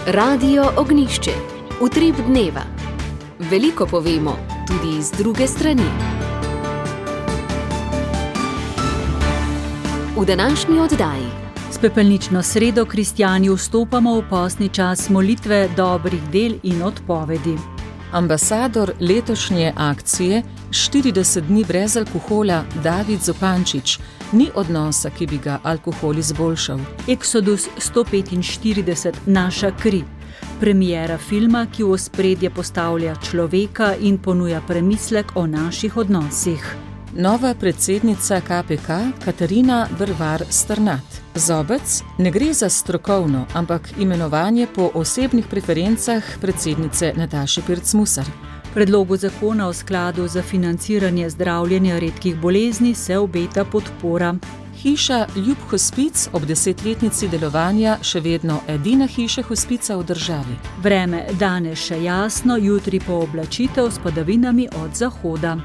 Radio Ognišče, utrip dneva. Veliko povemo, tudi iz druge strani. V današnji oddaji. S pepelnično sredo kristjani vstopamo v postni čas molitve, dobrih del in odpovedi. Ambasador letošnje akcije 40 dni brez alkohola David Zupančič ni odnosa, ki bi ga alkohol izboljšal. Exodus 145, naša kri. Premiera filma, ki v ospredje postavlja človeka in ponuja premislek o naših odnosih. Nova predsednica KPK Katarina Brvar Strnad. Zobec ne gre za strokovno, ampak imenovanje po osebnih preferencah predsednice Nataše Pirc Musar. Predlogu zakona o skladu za financiranje zdravljenja redkih bolezni se obeta podpora. Hiša Ljub Hospic ob 10-letnici delovanja še vedno edina hiša hospica v državi. Vreme danes še jasno, jutri pooblačitev s padavinami od zahoda.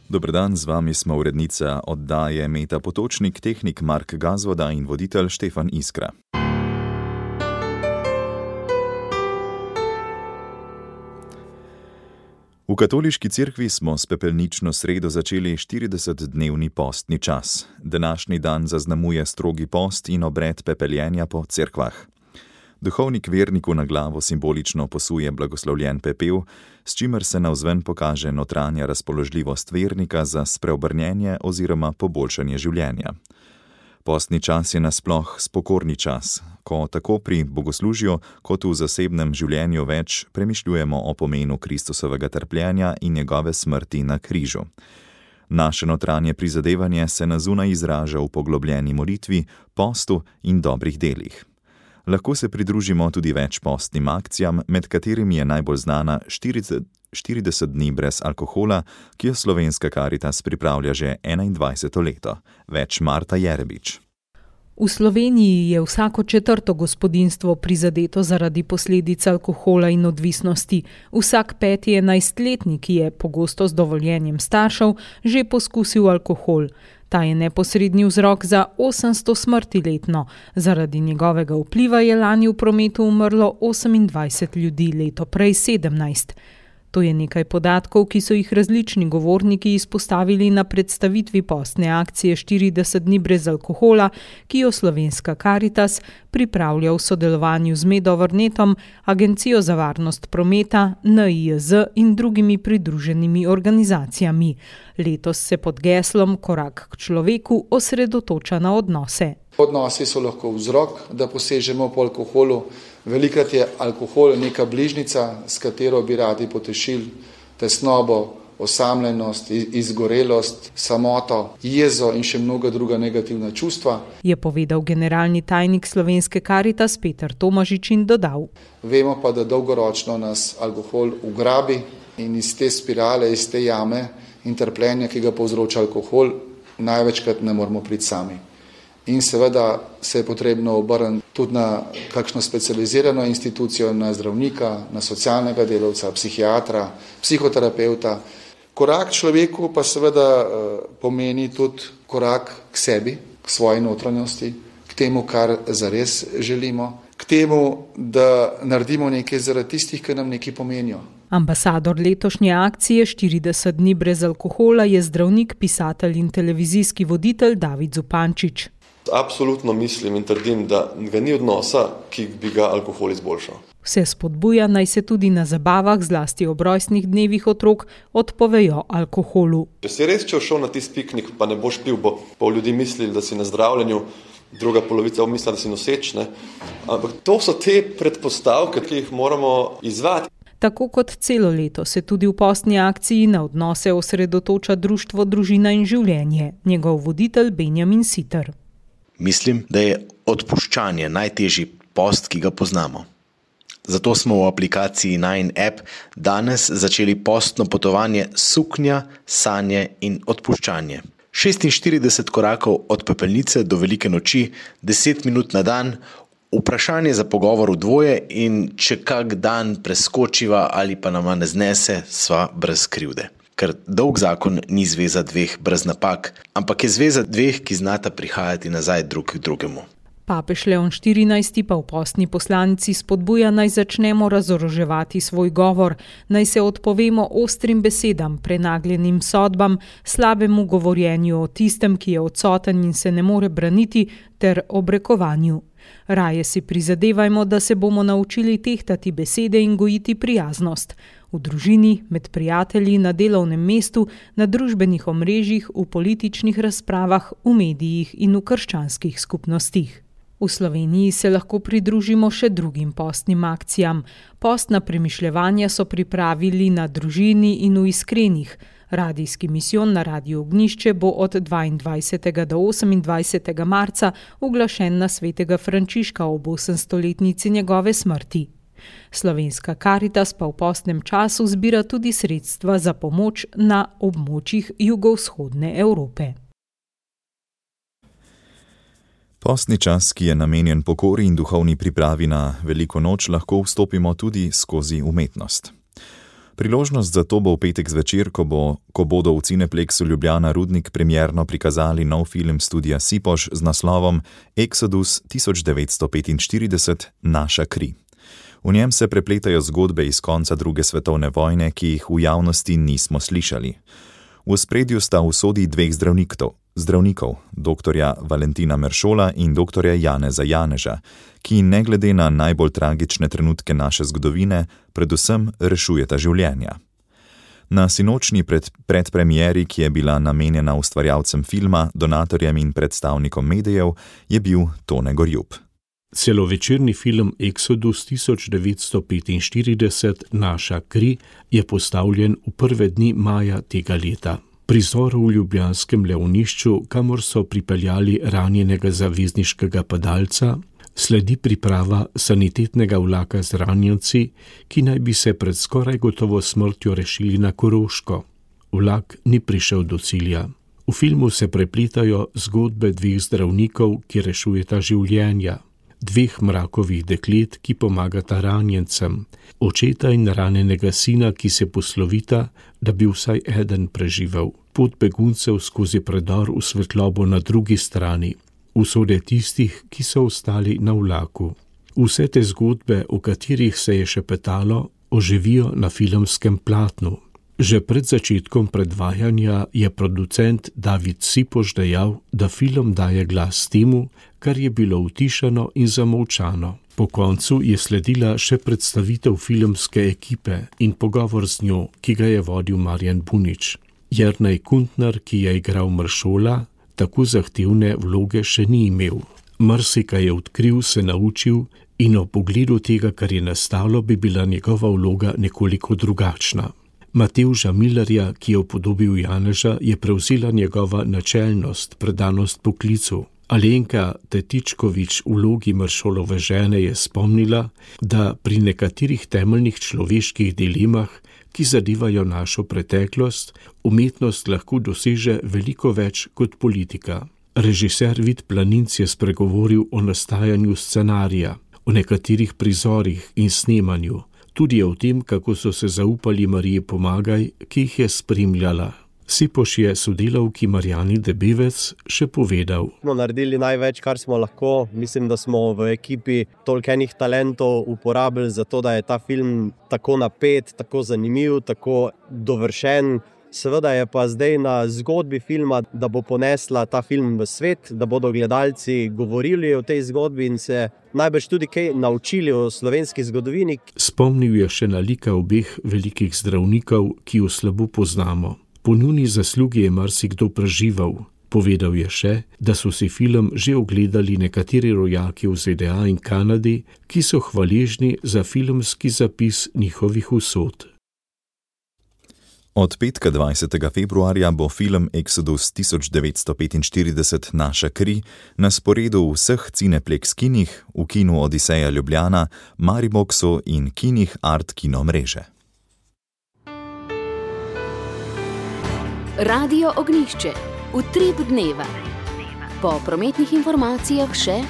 Dober dan, z vami smo urednica oddaje Meta Potočnik, tehnik Mark Gazvoda in voditelj Štefan Iskra. V katoliški cerkvi smo s pepelnično sredo začeli 40-dnevni postni čas. Današnji dan zaznamuje strogi post in obred pepeljenja po cerkvah. Duhovnik verniku na glavo simbolično posuje blagoslovljen pepel, s čimer se navzven pokaže notranja razpoložljivost vernika za spreobrnjenje oziroma poboljšanje življenja. Postni čas je nasploh spokorni čas, ko tako pri bogoslužju kot v zasebnem življenju več premišljujemo o pomenu Kristusovega trpljenja in njegove smrti na križu. Naše notranje prizadevanje se na zunaj izraža v poglobljeni molitvi, postu in dobrih delih. Lahko se pridružimo tudi več postnim akcijam, med katerimi je najbolj znana 40 dni brez alkohola, ki jo Slovenska Karitas pripravlja že 21. leto. Več Marta Jerebič. V Sloveniji je vsako četrto gospodinjstvo prizadeto zaradi posledic alkohola in odvisnosti. Vsak 5. 11-letnik je, pogosto z dovoljenjem staršev, že poskusil alkohol. Ta je neposredni vzrok za 800 smrti letno. Zaradi njegovega vpliva je lani v prometu umrlo 28 ljudi, leto prej 17. To je nekaj podatkov, ki so jih različni govorniki izpostavili na predstavitvi postne akcije 40 dni brez alkohola, ki jo Slovenska Karitas pripravlja v sodelovanju z Medovrnetom, Agencijo za varnost prometa, NIJZ in drugimi pridruženimi organizacijami. Letos se pod geslom Korak k človeku osredotoča na odnose. Odnosi so lahko vzrok, da posežemo po alkoholu. Velikrat je alkohol neka bližnica, s katero bi radi potešili tesnobo, osamljenost, izgorelost, samoto, jezo in še mnoga druga negativna čustva. Je povedal generalni tajnik Slovenske Karitas Peter Tomažič in dodal. Vemo pa, da dolgoročno nas alkohol ugrabi in iz te spirale, iz te jame in trpljenja, ki ga povzroča alkohol, največkrat ne moramo priti sami. In seveda se je potrebno obrniti tudi na kakšno specializirano institucijo, na zdravnika, na socialnega delavca, psihiatra, psihoterapeuta. Korak človeku pa seveda pomeni tudi korak k sebi, k svoji notranjosti, k temu, kar zares želimo, k temu, da naredimo nekaj zaradi tistih, ki nam nekaj pomenijo. Ambasador letošnje akcije 40 dni brez alkohola je zdravnik, pisatelj in televizijski voditelj David Zupančič. Absolutno mislim in trdim, da ga ni odnosa, ki bi ga alkohol izboljšal. Vse spodbuja, naj se tudi na zabavah, zlasti ob rojstnih dnevih otrok, odpovejo alkoholu. Če si res šel na tisti piknik, pa ne boš pil, bo pol ljudi mislili, da si na zdravljenju, druga polovica misli, da si noseč, ne? Ampak to so te predpostavke, ki jih moramo izvati. Tako kot celo leto se tudi v postni akciji na odnose osredotoča društvo Družina in življenje, njegov voditelj Benjamin Siter. Mislim, da je odpuščanje najtežji post, ki ga poznamo. Zato smo v aplikaciji Nine App danes začeli postno potovanje suknja, sanje in odpuščanje. 46 korakov od pepelnice do velike noči, 10 minut na dan, vprašanje za pogovor v dvoje in če kak dan preskočiva ali pa nama ne znese, sva brez krivde. ker dolg zakon ni zveza dveh brez napak, ampak je zveza dveh, ki znata prihajati nazaj drug k drugemu. Papež Leon XIV pa v postni poslanici spodbuja, naj začnemo razoroževati svoj govor, naj se odpovemo ostrim besedam, prenagljenim sodbam, slabemu govorjenju o tistem, ki je odsoten in se ne more braniti, ter obrekovanju. Raje si prizadevajmo, da se bomo naučili tehtati besede in gojiti prijaznost. V družini, med prijatelji, na delovnem mestu, na družbenih omrežjih, v političnih razpravah, v medijih in v krščanskih skupnostih. V Sloveniji se lahko pridružimo še drugim postnim akcijam. Postna premišljevanja so pripravili na Družini in v Iskrenih. Radijski misijon na Radiu Ognjišče bo od 22. do 28. marca uglašen na svetega Frančiška ob 800-letnici njegove smrti. Slovenska Karitas pa v postnem času zbira tudi sredstva za pomoč na območjih jugovzhodne Evrope. Postni čas, ki je namenjen pokori in duhovni pripravi na veliko noč, lahko vstopimo tudi skozi umetnost. Priložnost za to bo v petek zvečer, ko bodo v Cineplexu Ljubljana Rudnik premierno prikazali nov film studia Sipoš z naslovom Exodus 1945 – Naša kri. V njem se prepletajo zgodbe iz konca druge svetovne vojne, ki jih v javnosti nismo slišali. V ospredju sta usodi dveh zdravnikov, doktorja Valentina Meršola in doktorja Janeza Janeža, ki ne glede na najbolj tragične trenutke naše zgodovine, predvsem rešujeta življenja. Na sinočnji predpremieri, ki je bila namenjena ustvarjalcem filma, donatorjem in predstavnikom medijev, je bil Tone Gorjup. Celovečerni film Exodus 1945 – Naša kri je postavljen v prve dni maja tega leta. Prizor v ljubljanskem Leonišču, kamor so pripeljali ranjenega zavezniškega padalca, sledi priprava sanitetnega vlaka z ranjenci, ki naj bi se pred skoraj gotovo smrtjo rešili na Koroško. Vlak ni prišel do cilja. V filmu se prepletajo zgodbe dveh zdravnikov, ki rešujeta življenja, dveh mrakovih deklet, ki pomagata ranjencem, očeta in ranjenega sina, ki se poslovita, da bi vsaj eden preživel, pot beguncev skozi predor v svetlobo na drugi strani, usode tistih, ki so ostali na vlaku. Vse te zgodbe, o katerih se je šepetalo, oživijo na filmskem platnu. Že pred začetkom predvajanja je producent David Sipoš dejal, da film daje glas temu, kar je bilo utišano in zamolčano. Po koncu je sledila še predstavitev filmske ekipe in pogovor z njo, ki ga je vodil Marjan Bunič. Jernej Kuntner, ki je igral Meršola, tako zahtevne vloge še ni imel. Marsikaj je odkril, se naučil in ob pogledu tega, kar je nastalo, bi bila njegova vloga nekoliko drugačna. Matevža Millerja, ki je upodobil Janeža, je prevzela njegova načelnost, predanost poklicu. Alenka Tetičkovič v vlogi Meršolove žene je spomnila, da pri nekaterih temeljnih človeških dilemah, ki zadevajo našo preteklost, umetnost lahko doseže veliko več kot politika. Režiser Vid Planinc je spregovoril o nastajanju scenarija, o nekaterih prizorih in snemanju, tudi o tem, kako so se zaupali Mariji Pomagaj, ki jih je spremljala. Sipoš je sodelavki Marjani Debevec še povedal. Smo naredili največ, kar smo lahko. Mislim, da smo v ekipi toliko enih talentov uporabili za to, da je ta film tako napet, tako zanimiv, tako dovršen. Seveda je pa zdaj na zgodbi filma, da bo ponesla ta film v svet, da bodo gledalci govorili o tej zgodbi in se najbrž tudi kaj naučili o slovenski zgodovini. Spomnil je še na lika obeh velikih zdravnikov, ki jo slabo poznamo. Po njuni zaslugi je marsikdo preživel. Povedal je še, da so si film že ogledali nekateri rojaki v ZDA in Kanadi, ki so hvaležni za filmski zapis njihovih usod. Od petka 20. februarja bo film Exodus 1945 – Naša kri na sporedu v vseh Cineplex kinih, v kinu Odiseja Ljubljana, Mariboxu in kinih Art Kino mreže. Radio Ognjišče, utrip dneva. Po prometnih informacijah še: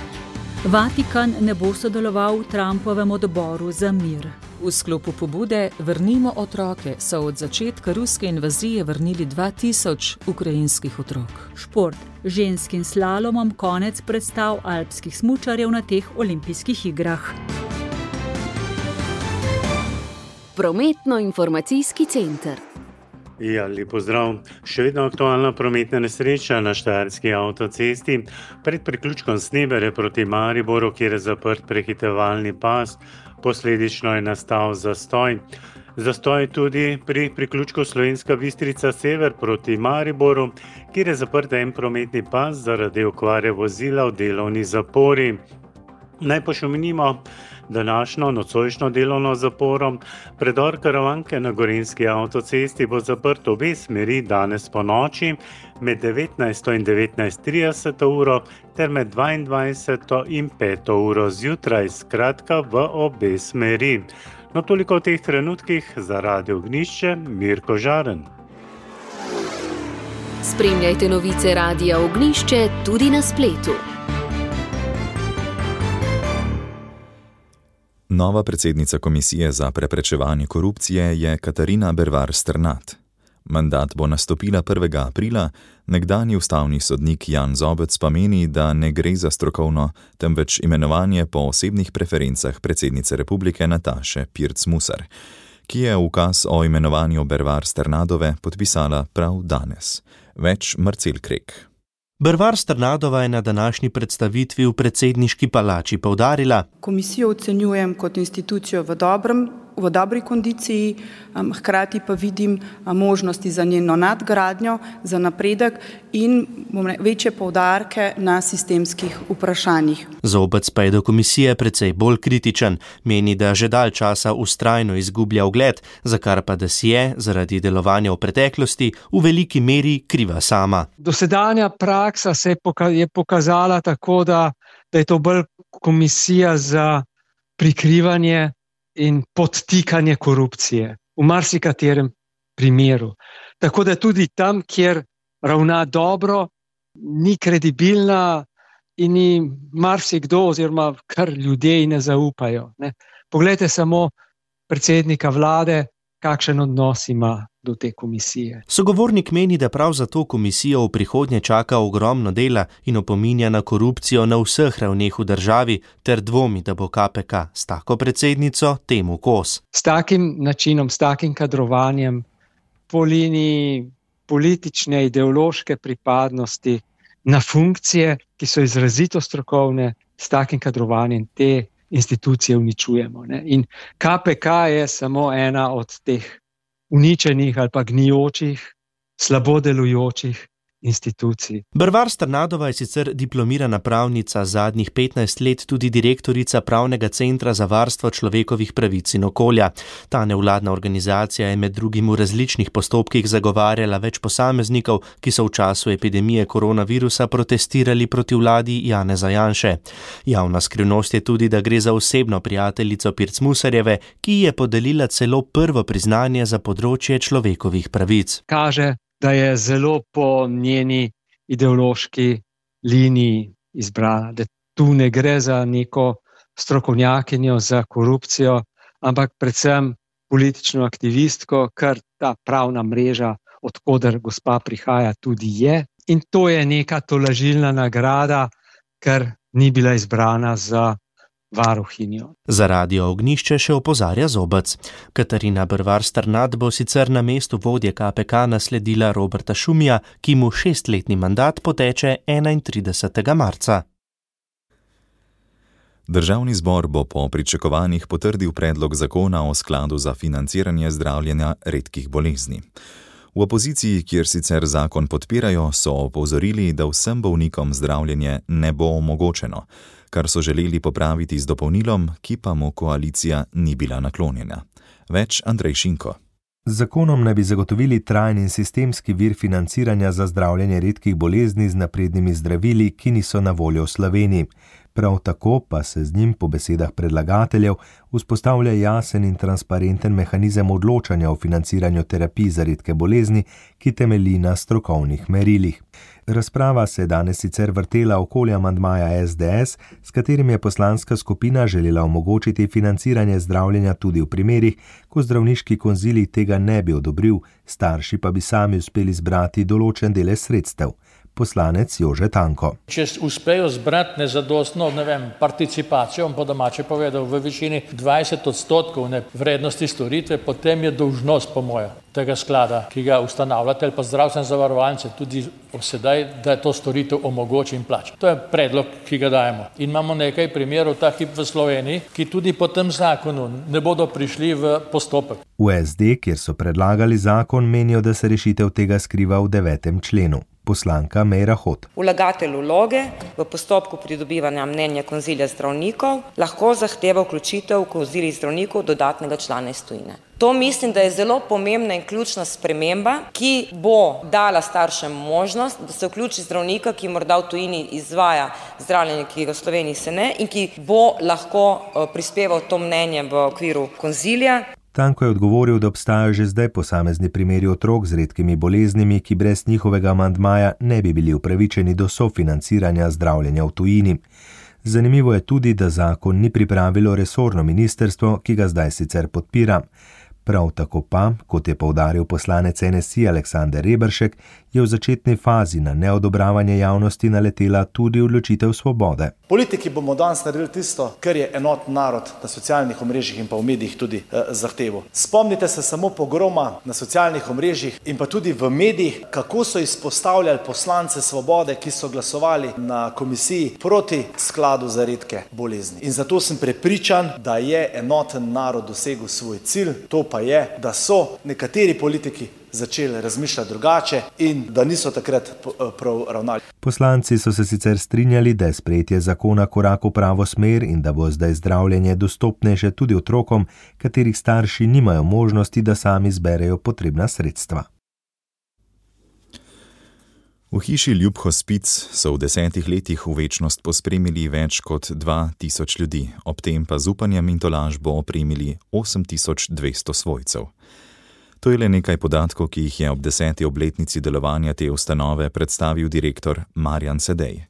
Vatikan ne bo sodeloval v Trumpovem odboru za mir. V sklopu pobude Vrnimo otroke so od začetka ruske invazije vrnili 2000 ukrajinskih otrok. Šport. Ženskim slalomom konec predstav alpskih smučarjev na teh olimpijskih igrah. Prometno-informacijski center. Ja, lep pozdrav. Še vedno aktualna prometna nesreča na štajerski avtocesti pred priključkom Snebere proti Mariboru, kjer je zaprt prehitevalni pas. Posledično je nastal zastoj. Zastoj tudi pri priključku Slovenska Bistrica sever proti Mariboru, kjer je zaprt en prometni pas zaradi okvare vozila v delovni zapori. Naj pošomenimo današnjo nocojšnjo delovno zaporo. Predor Karavanke na Gorenjski avtocesti bo zaprt obe smeri danes po noči med 19. in 19:30 uro ter med 22. in 5. uro zjutraj, skratka v obe smeri. No, toliko v teh trenutkih. Za Radio Ognjišče, Mirko Žaren. Spremljajte novice Radia Ognjišče tudi na spletu. Nova predsednica Komisije za preprečevanje korupcije je Katarina Bervar Strnad. Mandat bo nastopila 1. aprila, nekdanji ustavni sodnik Jan Zobec pa meni, da ne gre za strokovno, temveč imenovanje po osebnih preferencah predsednice republike Nataše Pirc Musar, ki je ukaz o imenovanju Bervar Strnadove podpisala prav danes. Več Marcel Krek. Bervar Strnadova je na današnji predstavitvi v predsedniški palači poudarila: Komisijo ocenjujem kot institucijo v dobri kondiciji, hkrati pa vidim možnosti za njeno nadgradnjo, za napredek in večje poudarke na sistemskih vprašanjih. Zobec pa je do komisije precej bolj kritičen. Meni, da že dalj časa vztrajno izgublja ugled, za kar pa da si je zaradi delovanja v preteklosti v veliki meri kriva sama. Dosedanja praksa se je pokazala tako, da je to bolj komisija za prikrivanje in podtikanje korupcije v marsikaterem primeru. Tako da tudi tam, kjer ravna dobro, ni kredibilna in ni marsikdo oziroma kar ljudje ne zaupajo. Ne. Poglejte samo predsednika vlade, kakšen odnos ima do te komisije. Sogovornik meni, da prav zato komisijo v prihodnje čaka ogromno dela in opominja na korupcijo na vseh ravneh v državi ter dvomi, da bo KPK s tako predsednico temu kos. S takim načinom, s takim kadrovanjem po liniji politične, ideološke pripadnosti na funkcije, ki so izrazito strokovne, s takim kadrovanjem te institucije uničujemo. Ne? In KPK je samo ena od teh uničenih ali pa gnijočih, slabo delujočih institucij. Bervar Strnadova je sicer diplomirana pravnica, zadnjih 15 let tudi direktorica Pravnega centra za varstvo človekovih pravic in okolja. Ta nevladna organizacija je med drugim v različnih postopkih zagovarjala več posameznikov, ki so v času epidemije koronavirusa protestirali proti vladi Janeza Janše. Javna skrivnost je tudi, da gre za osebno prijateljico Pirc Musarjeve, ki je podelila celo prvo priznanje za področje človekovih pravic. Kaže, da je zelo po njeni ideološki liniji izbrana, da tu ne gre za neko strokovnjakinjo za korupcijo, ampak predvsem politično aktivistko, kar ta pravna mreža, od koder gospa prihaja, tudi je. In to je neka tolažilna nagrada, ker ni bila izbrana za varuhinjo. Za Radio Ognjišče še opozarja Zobec. Katarina Bervar Strnad bo sicer na mestu vodje KPK nasledila Roberta Šumija, ki mu 6-letni mandat poteče 31. marca. Državni zbor bo po pričakovanjih potrdil predlog zakona o skladu za financiranje zdravljenja redkih bolezni. V opoziciji, kjer sicer zakon podpirajo, so opozorili, da vsem bolnikom zdravljenje ne bo omogočeno, kar so želeli popraviti z dopolnilom, ki pa mu koalicija ni bila naklonjena. Več Andrej Šinko. Z zakonom naj bi zagotovili trajni in sistemski vir financiranja za zdravljenje redkih bolezni z naprednimi zdravili, ki niso na voljo v Sloveniji. Prav tako pa se z njim po besedah predlagateljev vzpostavlja jasen in transparenten mehanizem odločanja o financiranju terapij za redke bolezni, ki temelji na strokovnih merilih. Razprava se je danes sicer vrtela okoli amandmaja SDS, s katerim je poslanska skupina želela omogočiti financiranje zdravljenja tudi v primerih, ko zdravniški konzilij tega ne bi odobril, starši pa bi sami uspeli zbrati določen delež sredstev. Poslanec Jože Tanko. Če uspejo zbrati nezadostno, participacijo, po domače povedal, v višini 20% vrednosti storitve, potem je dolžnost, po moje, tega sklada, ki ga ustanavljate, ali pa zdravstvene zavarovalnice, tudi sedaj, da to storitev omogoči in plača. To je predlog, ki ga dajemo. In imamo nekaj primerov ta hip v Sloveniji, ki tudi po tem zakonu ne bodo prišli v postopek. V SD, kjer so predlagali zakon, menijo, da se rešitev tega skriva v 9. členu. Poslanka Meira Hot. Vlagatelj vloge v postopku pridobivanja mnenja konzilija zdravnikov lahko zahteva vključitev v konzilij zdravnikov dodatnega člana iz tujine. To mislim, da je zelo pomembna in ključna sprememba, ki bo dala staršem možnost, da se vključi zdravnika, ki morda v tujini izvaja zdravljenje, ki ga v Sloveniji se ne, in ki bo lahko prispeval to mnenje v okviru konzilija. Tanko je odgovoril, da obstajajo že zdaj posamezni primeri otrok z redkimi boleznimi, ki brez njihovega amandmaja ne bi bili upravičeni do sofinanciranja zdravljenja v tujini. Zanimivo je tudi, da zakon ni pripravilo resorno ministrstvo, ki ga zdaj sicer podpira. Prav tako pa, kot je poudaril poslanec NSI Aleksander Reberšek, je v začetni fazi na neodobravanje javnosti naletela tudi odločitev Svobode. Politiki bomo danes naredili tisto, kar je enoten narod na socialnih omrežjih in pa v medijih tudi zahteval. Spomnite se samo pogroma na socialnih omrežjih in pa tudi v medijih, kako so izpostavljali poslance Svobode, ki so glasovali na komisiji proti skladu za redke bolezni. In zato sem prepričan, da je enoten narod dosegel svoj cilj, to pa je, da so nekateri politiki začeli razmišljati drugače in da niso takrat prav ravnali. Poslanci so se sicer strinjali, da je sprejetje zakona korak v pravo smer in da bo zdaj zdravljenje dostopnejše tudi otrokom, katerih starši nimajo možnosti, da sami zberejo potrebna sredstva. V hiši Ljub Hospic so v 10 letih v večnost pospremili več kot 2000 ljudi, ob tem pa z upanjem in tolažbo opremili 8200 svojcev. To je le nekaj podatkov, ki jih je ob 10. obletnici delovanja te ustanove predstavil direktor Marjan Sedej.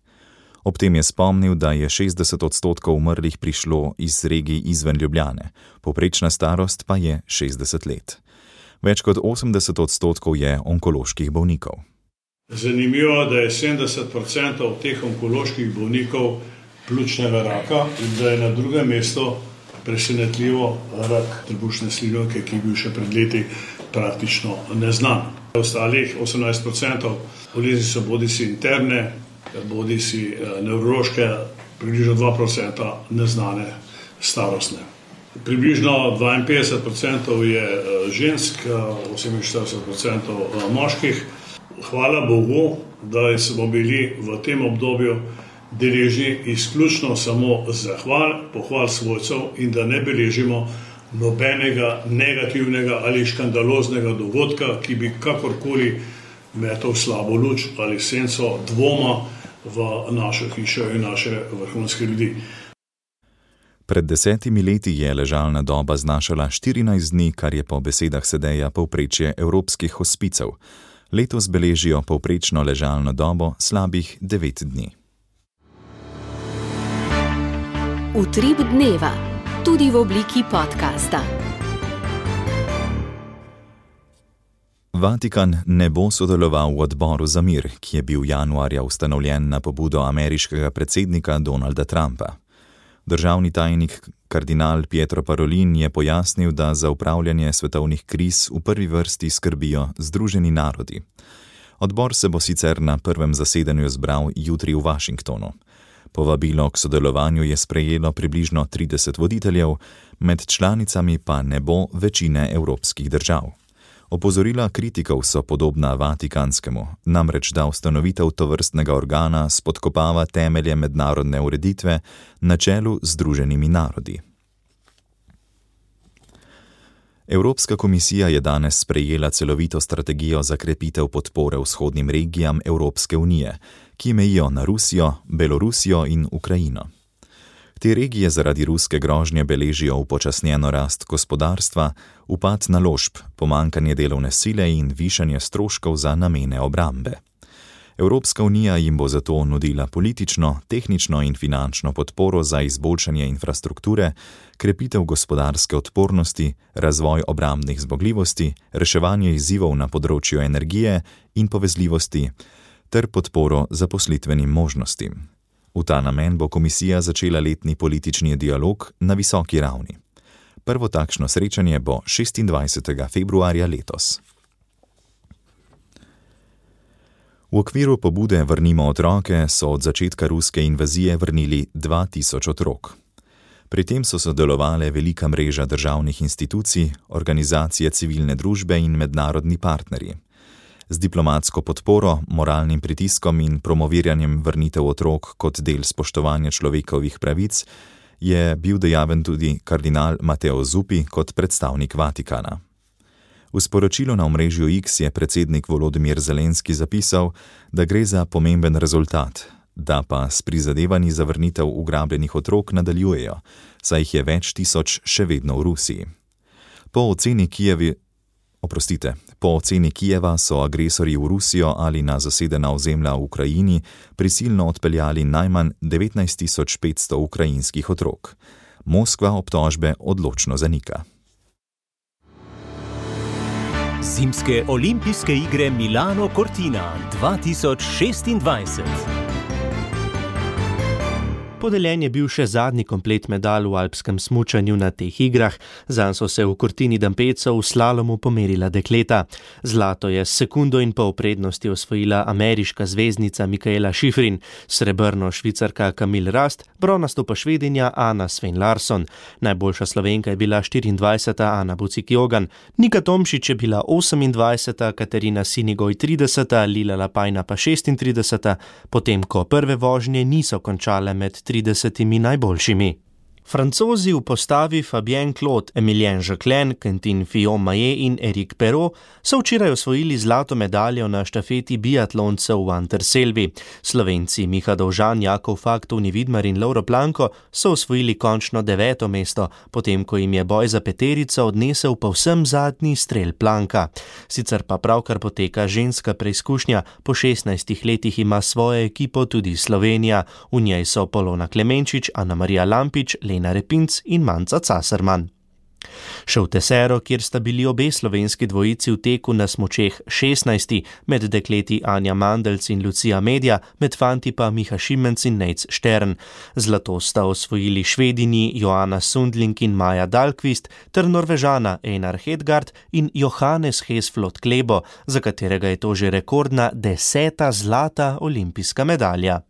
Ob tem je spomnil, da je 60% umrlih prišlo iz regij izven Ljubljane, povprečna starost pa je 60 let. Več kot 80% je onkoloških bolnikov. Zanimivo, da je 70% teh onkoloških bolnikov pljučnega raka in da je na drugem mestu presenetljivo rak trebušne slinavke, ki je bil še pred leti praktično neznan. Ostalih 18% bolezni so bodisi interne, bodisi nevrološke, približno 2% neznane starostne. Približno 52% je žensk, 48% moških. Hvala Bogu, da smo bili v tem obdobju deležni izključno samo zahval, pohval svojcev in da ne beležimo nobenega negativnega ali škandaloznega dogodka, ki bi kakorkoli metal slabo luč ali senco dvoma v našo hišo in naše vrhunske ljudi. Pred 10 leti je ležalna doba znašala 14 dni, kar je po besedah Sedeja povprečje evropskih hospicev. Letos beležijo povprečno ležalno dobo slabih 9 dni. Utrip dneva, tudi v obliki podcasta. Vatikan ne bo sodeloval v odboru za mir, ki je bil januarja ustanovljen na pobudo ameriškega predsednika Donalda Trumpa. Državni tajnik kardinal Pietro Parolin je pojasnil, da za upravljanje svetovnih kriz v prvi vrsti skrbijo Združeni narodi. Odbor se bo sicer na prvem zasedanju zbral jutri v Washingtonu. Povabilo k sodelovanju je sprejelo približno 30 voditeljev, med članicami pa ne bo večine evropskih držav. Opozorila kritikov so podobna vatikanskemu, namreč da ustanovitev tovrstnega organa spodkopava temelje mednarodne ureditve na čelu z Združenimi narodi. Evropska komisija je danes sprejela celovito strategijo za krepitev podpore vzhodnim regijam Evropske unije, ki mejijo na Rusijo, Belorusijo in Ukrajino. Te regije zaradi ruske grožnje beležijo upočasnjeno rast gospodarstva, upad naložb, pomanjkanje delovne sile in višanje stroškov za namene obrambe. Evropska unija jim bo zato nudila politično, tehnično in finančno podporo za izboljšanje infrastrukture, krepitev gospodarske odpornosti, razvoj obrambnih zmogljivosti, reševanje izzivov na področju energije in povezljivosti ter podporo zaposlitvenim možnostim. V ta namen bo komisija začela letni politični dialog na visoki ravni. Prvo takšno srečanje bo 26. februarja letos. V okviru pobude Vrnimo otroke so od začetka ruske invazije vrnili 2000 otrok. Pri tem so sodelovale velika mreža državnih institucij, organizacije civilne družbe in mednarodni partnerji. Z diplomatsko podporo, moralnim pritiskom in promoviranjem vrnitev otrok kot del spoštovanja človekovih pravic je bil dejaven tudi kardinal Matteo Zuppi kot predstavnik Vatikana. V sporočilu na omrežju X je predsednik Volodymyr Zelenski zapisal, da gre za pomemben rezultat, da pa s prizadevanji za vrnitev ugrabljenih otrok nadaljujejo, saj jih je več tisoč še vedno v Rusiji. Po oceni Kijeva so agresorji v Rusijo ali na zasedena ozemlja v Ukrajini prisilno odpeljali najmanj 19.500 ukrajinskih otrok. Moskva obtožbe odločno zanika. Zimske olimpijske igre Milano Cortina 2026. Podeljen je bil še zadnji komplet medalj v alpskem smučanju na teh igrah, zanj so se v Cortini d'Ampezzo v slalomu pomerila dekleta. Zlato je s sekundo in pol prednosti osvojila ameriška zvezdnica Mikaela Shiffrin, srebrno švicarka Camille Rast, bronasto pa Švedinja Anna Sven Larsson. Najboljša Slovenka je bila 24. Ana Bucik-Jogan, Nika Tomšič je bila 28., Katarina Sinigoj 30., Lila Lapajna pa 36., potem ko prve vožnje niso končale med 30 najboljšimi. Francozi v postavi Fabien Claude, Emilien Jacquelin, Quentin Fillon-Maillet in Eric Perrault so včeraj osvojili zlato medaljo na štafeti biatloncev v Anterselvi. Slovenci Miha Dovžan, Jakov Fak, Toni Vidmar in Lovro Planko so osvojili končno 9. mesto, potem ko jim je boj za peterico odnesel povsem zadnji strel Planka. Sicer pa pravkar poteka ženska preizkušnja, po 16 letih ima svojo ekipo tudi Slovenija. V njej so Polona Klemenčič, Ana Marija Lampič, Lena Repinc in Manca Caserman. Še v Tesero, kjer sta bili obe slovenski dvojici v teku na smučeh 16, med dekleti Anja Mandelc in Lucija Medja, med fanti pa Miha Šimenc in Nejc Štern. Zlato sta osvojili Švedini Joanna Sundling in Maja Dahlqvist ter Norvežana Einar Hedgard in Johannes Hesflot Klebo, za katerega je to že rekordna 10. zlata olimpijska medalja.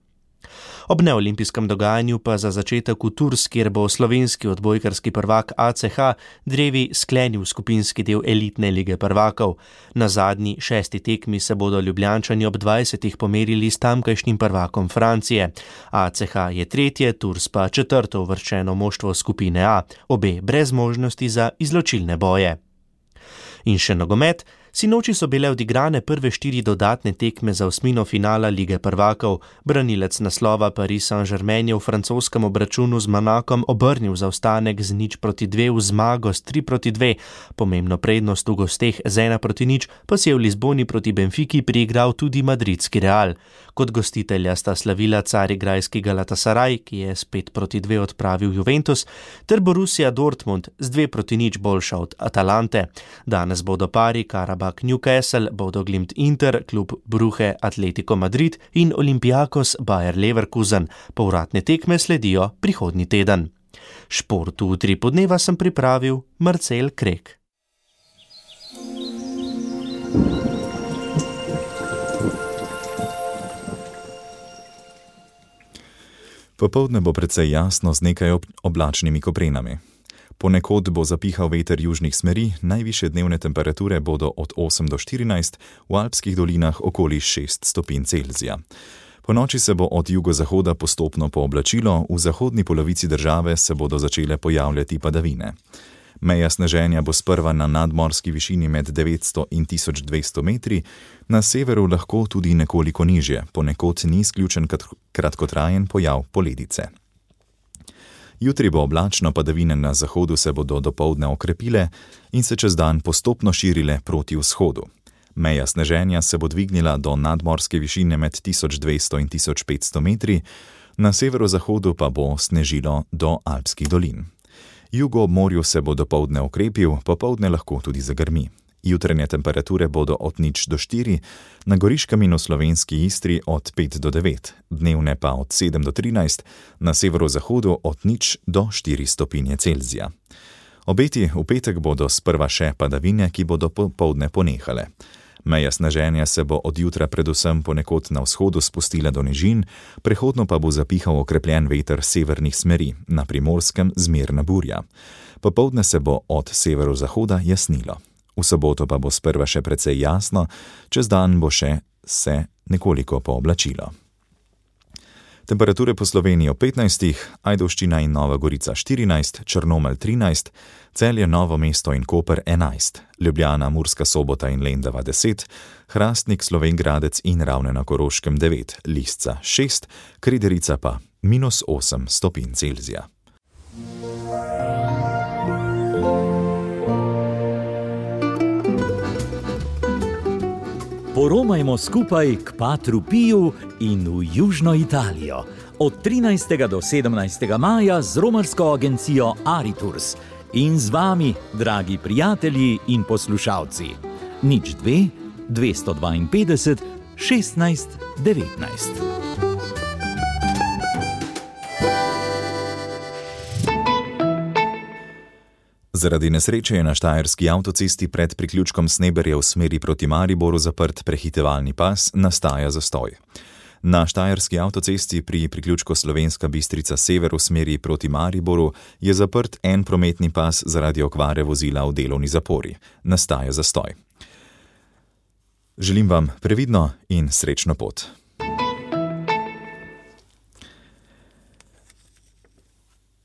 Ob neolimpijskem dogajanju pa za začetek v Tours, kjer bo slovenski odbojkarski prvak ACH drevi sklenil skupinski del elitne lige prvakov. Na zadnji 6. tekmi se bodo Ljubljančani ob 20. pomerili s tamkajšnjim prvakom Francije. ACH je 3., Tours pa 4. uvrščeno moštvo skupine A, obe brez možnosti za izločilne boje. In še nogomet. Sinoči so bile odigrane prve 4 dodatne tekme za osmino finala Lige prvakov. Branilec naslova Paris Saint-Germain je v francoskem obračunu z Monakom obrnil zaostanek z 0-2 v zmago s 3-2. Pomembno prednost v gosteh z 1-0 pa si je v Lizboni proti Benfiki priigral tudi madridski Real. Kot gostitelja sta slavila carigrajski Galatasaray, ki je s 5-2 odpravil Juventus, ter Borussia Dortmund z 2-0 boljša od Atalante. Danes bodo pari Karabakh Newcastle, Bodo Glimt Inter, klub Brugge Atletico Madrid in Olympiakos Bayer Leverkusen. Povratne tekme sledijo prihodnji teden. Šport v 3 podneva sem pripravil Marcel Krek. Popoldne bo precej jasno z nekaj oblačnimi koprenami. Ponekod bo zapihal veter južnih smeri, najvišje dnevne temperature bodo od 8 do 14, v alpskih dolinah okoli 6 stopinj Celzija. Po noči se bo od jugozahoda postopno pooblačilo, v zahodni polovici države se bodo začele pojavljati padavine. Meja sneženja bo sprva na nadmorski višini med 900 in 1200 metri, na severu lahko tudi nekoliko nižje, ponekod ni izključen kratkotrajen pojav poledice. Jutri bo oblačno, padavine na zahodu se bodo dopoldne okrepile in se čez dan postopno širile proti vzhodu. Meja sneženja se bo dvignila do nadmorske višine med 1200 in 1500 metri, na severozahodu pa bo snežilo do Alpskih dolin. Jugo ob morju se bo dopoldne okrepil, popoldne lahko tudi zagrmi. Jutranje temperature bodo od 0 do 4, na Goriškem in v slovenski Istri od 5 do 9, dnevne pa od 7 do 13, na severozahodu od 0 do 4 stopinje Celzija. Obeti v petek bodo sprva še padavine, ki bodo popoldne ponehale. Meja sneženja se bo od jutra predvsem ponekod na vzhodu spustila do nižin, prehodno pa bo zapihal okrepljen veter severnih smeri, na Primorskem zmerna burja. Popoldne se bo od severozahoda jasnilo. V soboto pa bo sprva še precej jasno, čez dan bo še se nekoliko pooblačilo. Temperature po Sloveniji ob 15, Ajdovščina in Nova Gorica 14, Črnomelj 13, Celje, Novo mesto in Koper 11, Ljubljana, Murska Sobota in Lendava 10, Hrastnik, Slovenj Gradec in Ravne na Koroškem 9, Lisca 6, Krederica pa -8 stopinj Celzija. Poromajmo skupaj k Patru Piju in v Južno Italijo. Od 13. do 17. maja z romarsko agencijo Aritours. In z vami, dragi prijatelji in poslušalci. 02 252 16 19. Zaradi nesreče je na štajerski avtocesti pred priključkom Sneberje v smeri proti Mariboru zaprt prehitevalni pas, nastaja zastoj. Na štajerski avtocesti pri priključku Slovenska Bistrica sever v smeri proti Mariboru je zaprt en prometni pas zaradi okvare vozila v delovni zapori. Nastaja zastoj. Želim vam previdno in srečno pot.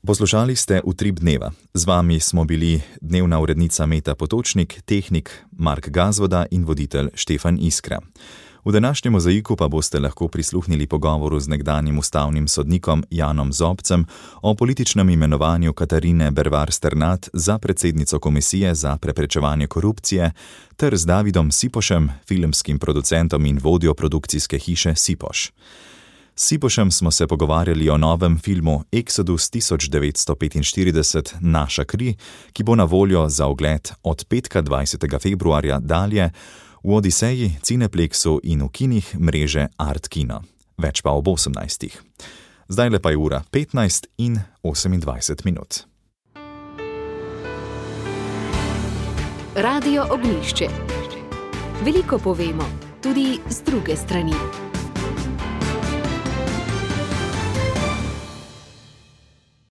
Poslušali ste Utrip dneva. Z vami smo bili dnevna urednica Meta Potočnik, tehnik Mark Gazvoda in voditelj Štefan Iskra. V današnjem mozaiku pa boste lahko prisluhnili pogovoru z nekdanjim ustavnim sodnikom Janom Zobcem o političnem imenovanju Katarine Bervar Sternat za predsednico Komisije za preprečevanje korupcije ter z Davidom Sipošem, filmskim producentom in vodjo produkcijske hiše Sipoš. S Sipošem smo se pogovarjali o novem filmu Exodus 1945 Naša kri, ki bo na voljo za ogled od petka 20. februarja dalje v Odiseji, Cineplexu in v kinih mreže Art Kino. Več pa ob 18. Zdajle pa je ura 15 in 28 minut. Radio Ognjišče. Veliko povemo, tudi z druge strani.